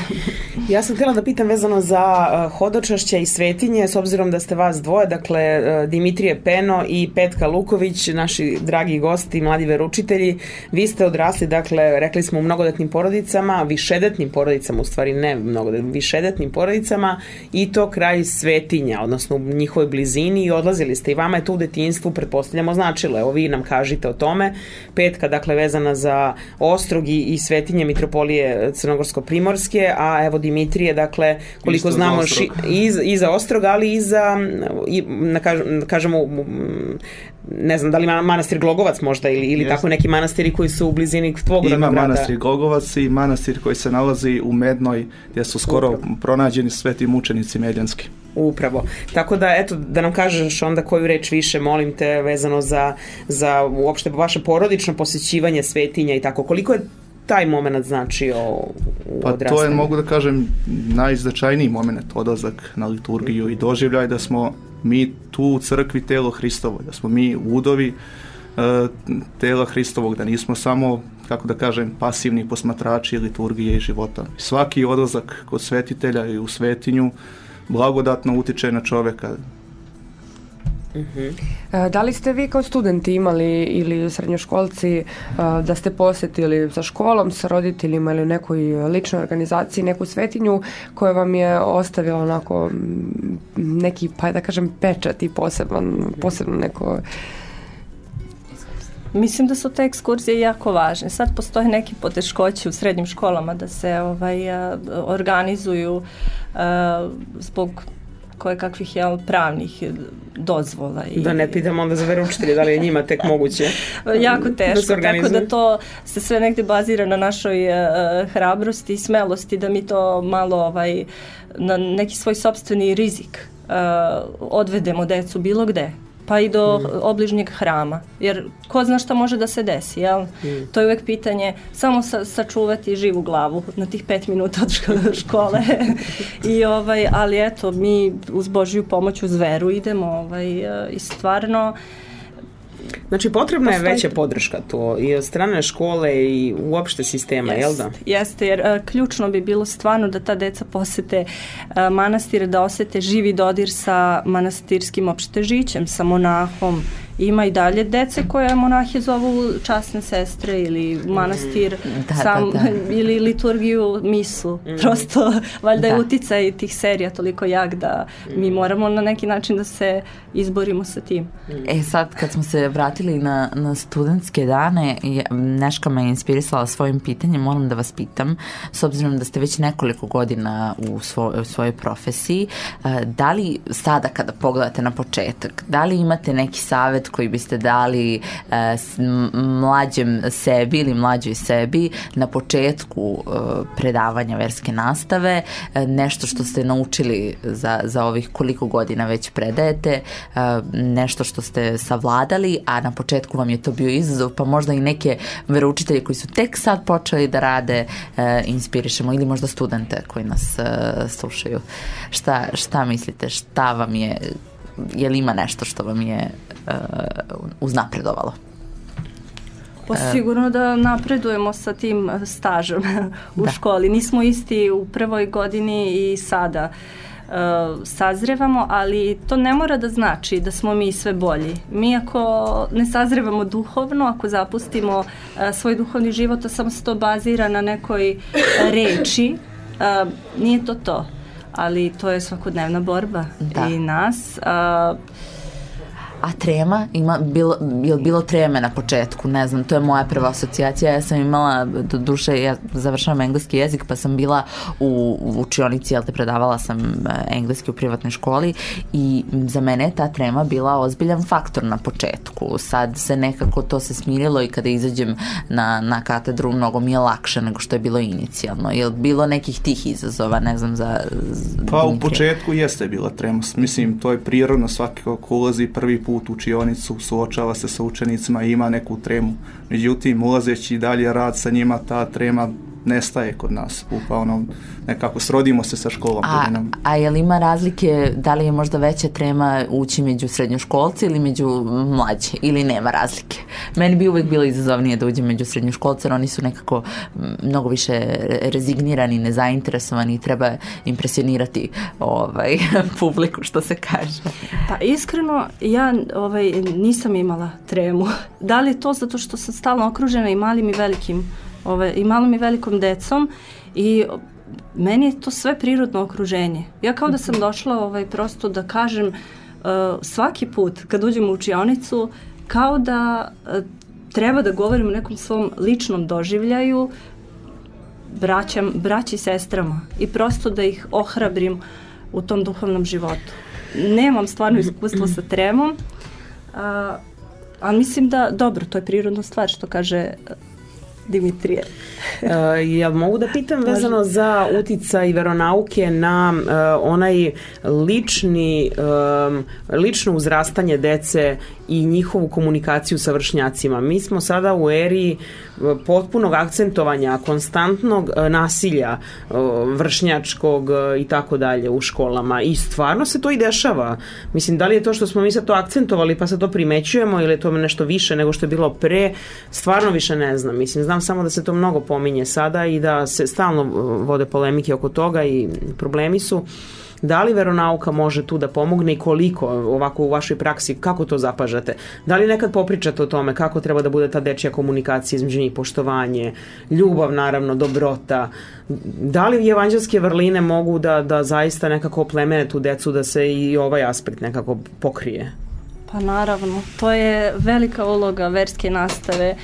Ja sam htjela da pitam vezano za hodočašće i svetinje, s obzirom da ste vas dvoje, dakle Dimitrije Peno i Petka Luković, naši dragi gosti, mladi veroučitelji. Vi ste odrasli, dakle, rekli smo u mnogodetnim porodicama, višedetnim porodicama, u stvari ne mnogodetnim, višedetnim porodicama, i to kraj svetinja, odnosno u njihovoj blizini, i odlazili ste, i vama je to u detinjstvu, pretpostavljamo, značilo. Evo, vi nam kažite o tome. Petka, dakle, vezana za Ostrog i svetinje mitropolije Crnogorsko-primorske, a evo Dimitrije, dakle, koliko znamo i za Ostrog, ali i za, kažemo, ne znam, da li manastir Glogovac možda ili tako neki manastiri koji su u blizini tvog rodnog grada.
Ima manastir Glogovac i manastir koji se nalazi u Mednoj, gdje su skoro pronađeni sveti mučenici medjanski.
Upravo. Tako da, eto, da nam kažeš onda koju reč više, molim te, vezano za uopšte vaše porodično posjećivanje svetinja i tako. Koliko je taj moment značio u odrastanju?
To je, mogu da kažem, najznačajniji moment, odlazak na liturgiju i doživljaj da smo mi tu u crkvi telo Hristovo, da smo mi udovi tela Hristovog, da nismo samo, kako da kažem, pasivni posmatrači liturgije i života. Svaki odlazak kod svetitelja i u svetinju blagodatno utiče na čoveka.
Da li ste vi kao studenti imali ili srednjoškolci da ste posjetili sa školom, sa roditeljima ili u nekoj ličnoj organizaciji neku svetinju koja vam je ostavila onako neki, pa da kažem, pečat i posebno neko...
Mislim da su te ekskurzije jako važne. Sad postoje neki poteškoće u srednjim školama da se organizuju zbog kakvih pravnih dozvola.
Da ne pitamo onda za veroučitelje da li je njima tek moguće.
Jako teško, tako da to se sve negde bazira na našoj hrabrosti i smelosti, da mi to malo na neki svoj sopstveni rizik odvedemo decu bilo gde, pa i do obližnjeg hrama, jer ko zna šta može da se desi, jel? To je uvek pitanje, samo sačuvati živu glavu na tih 5 minuta od škole. Ali eto, mi uz Božju pomoć, uz veru idemo i stvarno...
Znači, potrebna je veća podrška to i od strane škole i uopšte sistema, jel da?
Jeste, jer ključno bi bilo stvarno da ta deca posete manastire, da osete živi dodir sa manastirskim opštežićem, sa monahom. Ima i dalje dece koje monahe zovu časne sestre ili manastir ili liturgiju, misu. Prosto, valjda je uticaj tih serija toliko jak da mi moramo na neki način da se izborimo sa tim.
Sad kad smo se vratili na studentske dane, Neška me inspirisala svojim pitanjem, moram da vas pitam, s obzirom da ste već nekoliko godina u svojoj profesiji, da li sada kada pogledate na početak, da li imate neki savjet koji biste dali mlađem sebi ili mlađoj sebi na početku predavanja verske nastave, nešto što ste naučili za ovih koliko godina već predajete, nešto što ste savladali, a na početku vam je to bio izazov, pa možda i neke veroučitelje koji su tek sad počeli da rade inspirišemo, ili možda studente koji nas slušaju. Šta mislite, šta vam je li ima nešto što vam je uznapredovalo?
Pa sigurno da napredujemo sa tim stažom u školi. Nismo isti u prvoj godini i sada sazrevamo, ali to ne mora da znači da smo mi sve bolji. Mi ako ne sazrevamo duhovno, ako zapustimo svoj duhovni život, a samo se to bazira na nekoj reči, nije to to. Ali to je svakodnevna borba i nas.
A trema? Je bilo treme na početku? Ne znam, to je moja prva asocijacija. Ja sam imala, do duše, ja završavam engleski jezik, pa sam bila u učionici, predavala sam engleski u privatnoj školi i za mene je ta trema bila ozbiljan faktor na početku. Sad se nekako to se smirilo i kada izađem na katedru mnogo mi je lakše nego što je bilo inicijalno. Je li bilo nekih tih izazova, ne znam,
Pa u početku jeste bila trema. Mislim, to je prirodno, svaki ko ulazi prvi put u učionicu, suočava se sa učenicima i ima neku tremu. Međutim, ulazeći dalje rad sa njima, ta trema nestaje kod nas. Nekako srodimo se sa školom.
A je li ima razlike, da li je možda veća trema ući među srednjoškolci ili među mlađe, ili nema razlike? Meni bi uvek bilo izazovnije da uđem među srednjoškolce, jer oni su nekako mnogo više rezignirani, nezainteresovani i treba impresionirati publiku, što se kaže.
Pa iskreno, ja nisam imala tremu. Da li je to zato što sam stalno okružena i malim i malom i velikom decom i meni je to sve prirodno okruženje. Ja kao da sam došla prosto da kažem svaki put kad uđem u učionicu kao da treba da govorim o nekom svom ličnom doživljaju braći i sestrama i prosto da ih ohrabrim u tom duhovnom životu. Nemam stvarno iskustvo sa tremom, ali mislim da, dobro, to je prirodna stvar što kaže Dimitrije.
Jel mogu da pitam vezano za uticaj veronauke na onaj lično uzrastanje dece i njihovu komunikaciju sa vršnjacima? Mi smo sada u eri potpunog akcentovanja, konstantnog nasilja vršnjačkog i tako dalje u školama i stvarno se to i dešava. Mislim, da li je to što smo mi sad to akcentovali pa sad to primećujemo ili je to nešto više nego što je bilo pre, stvarno više ne znam. Mislim, znam samo da se to mnogo pominje sada i da se stalno vode polemike oko toga i problemi su. Da li veronauka može tu da pomogne i koliko ovako u vašoj praksi, kako to zapažate? Da li nekad popričate o tome kako treba da bude ta dečja komunikacija između njih, poštovanje, ljubav naravno, dobrota? Da li evanđelske vrline mogu da zaista nekako oplemene tu decu da se i ovaj aspekt nekako pokrije?
Pa naravno, to je velika uloga verske nastave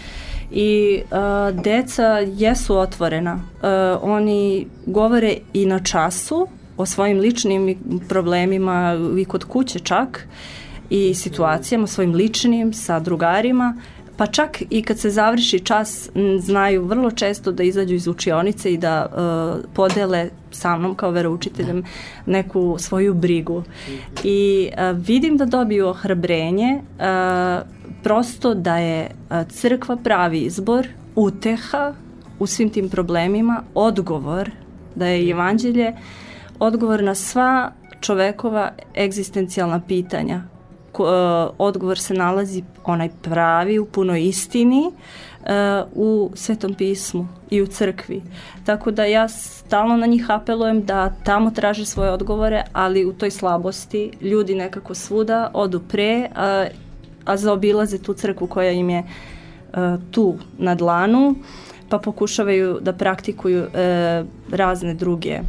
i deca jesu otvorena. Oni govore i na času o svojim ličnim problemima i kod kuće čak i situacijama svojim ličnim sa drugarima, pa čak i kad se završi čas znaju vrlo često da izađu iz učionice i da podele sa mnom kao veroučiteljem neku svoju brigu. I vidim da dobiju ohrabrenje, prosto da je crkva pravi izbor, uteha u svim tim problemima, odgovor, da je evanđelje odgovor na sva čovekova egzistencijalna pitanja. Odgovor se nalazi onaj pravi u punoj istini u Svetom pismu i u crkvi. Tako da ja stalno na njih apelujem da tamo traže svoje odgovore, ali u toj slabosti ljudi nekako svuda odu pre, a zaobilaze tu crkvu koja im je tu na dlanu, pa pokušavaju da praktikuju razne druge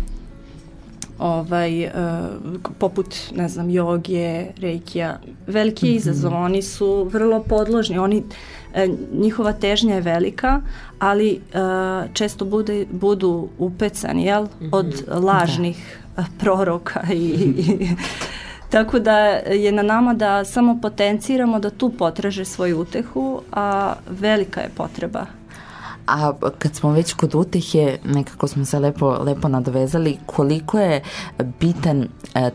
poput, ne znam, joge, reikija. Veliki je izazov, oni su vrlo podložni, njihova težnja je velika, ali često budu upecani, jel, od lažnih proroka tako da je na nama da samo potenciramo da tu potraže svoju utehu, a velika je potreba.
A kad smo već kod utehe, nekako smo se lepo nadovezali, koliko je bitan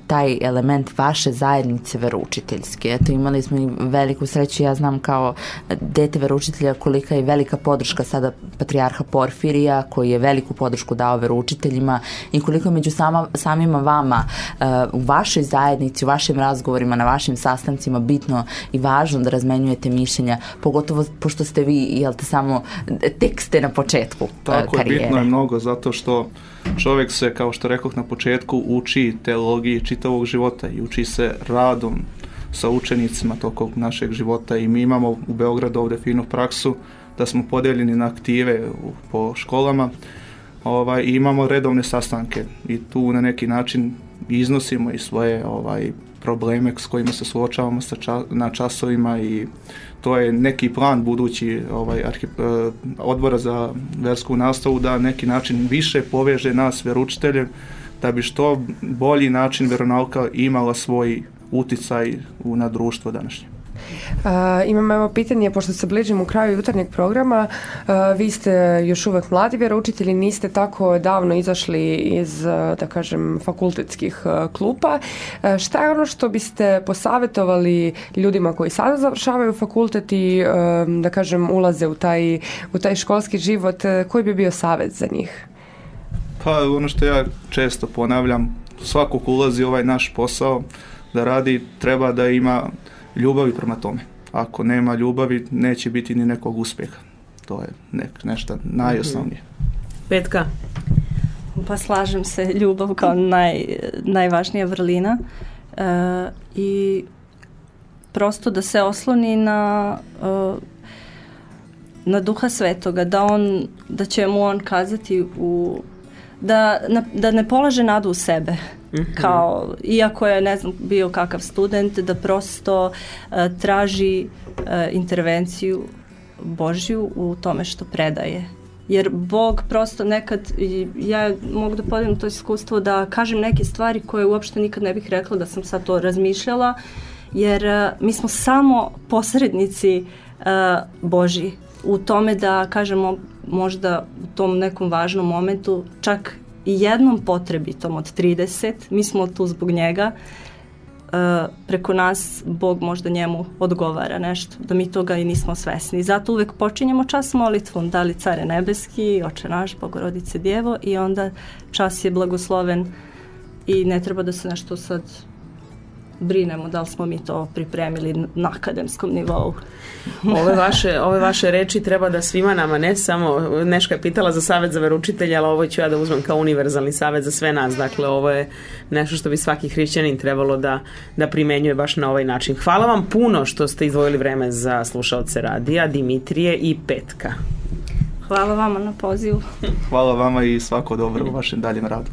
taj element vaše zajednice veroučiteljske? Eto, imali smo i veliku sreću, ja znam kao dete veroučitelja kolika je velika podrška sada patrijarha Porfirija, koji je veliku podršku dao veroučiteljima i koliko je među samima vama u vašoj zajednici, u vašim razgovorima, na vašim sastancima bitno i važno da razmenjujete mišljenja, pogotovo pošto ste vi, jel te, samo tek ste na početku karijere.
Tako je, bitno je mnogo, zato što čovjek se, kao što rekoh na početku, uči teologiji čitavog života i uči se radom sa učenicima tokom našeg života i mi imamo u Beogradu ovdje finu praksu da smo podeljeni na aktive po školama i imamo redovne sastanke i tu na neki način iznosimo i svoje probleme s kojima se suočavamo na časovima i to je neki plan budući odbora za versku nastavu da neki način više poveže nas veroučitelje da bi što bolji način veronauka imala svoj uticaj na društvo današnje.
Imam evo pitanje, pošto se bližimo u kraju jutarnjeg programa, vi ste još uvek mladi vjeroučitelji, niste tako davno izašli iz, da kažem, fakultetskih klupa. Šta je ono što biste posavjetovali ljudima koji sada završavaju fakultet i, da kažem, ulaze u taj školski život, koji bi bio savjet za njih?
Pa ono što ja često ponavljam, svako ko ulazi u ovaj naš posao da radi, treba da ima ljubavi prema tome. Ako nema ljubavi, neće biti ni nekog uspjeha. To je nešto najosnovnije.
Petka?
Pa slažem se, ljubav kao najvažnija vrlina i prosto da se osloni na Duha Svetoga, da će mu on kazati da ne polaže nadu u sebe. Kao, iako je, ne znam, bio kakav student, da prosto traži intervenciju Božju u tome što predaje. Jer Bog prosto nekad, ja mogu da podijelim to iskustvo da kažem neke stvari koje uopšte nikad ne bih rekla da sam sad to razmišljala, jer mi smo samo posrednici Božji u tome da kažemo možda u tom nekom važnom momentu čak i jednom potrebitom od 30, mi smo tu zbog njega, preko nas Bog možda njemu odgovara nešto, da mi toga i nismo svesni. Zato uvek počinjemo čas molitvom, da li Care nebeski, Oče naš, Bogorodice Djevo, i onda čas je blagosloven i ne treba da se nešto sad brinemo da li smo mi to pripremili na akademskom nivou.
Ove vaše reči treba da svima nama, ne samo, Neška je pitala za savjet za veroučitelja, ali ovo ću ja da uzmem kao univerzalni savjet za sve nas. Dakle, ovo je nešto što bi svaki hrišćanin trebalo da primenjuje baš na ovaj način. Hvala vam puno što ste izdvojili vreme za slušaoce radija, Dimitrije i Petka.
Hvala vama na pozivu.
Hvala vama i svako dobro u vašem daljem radu.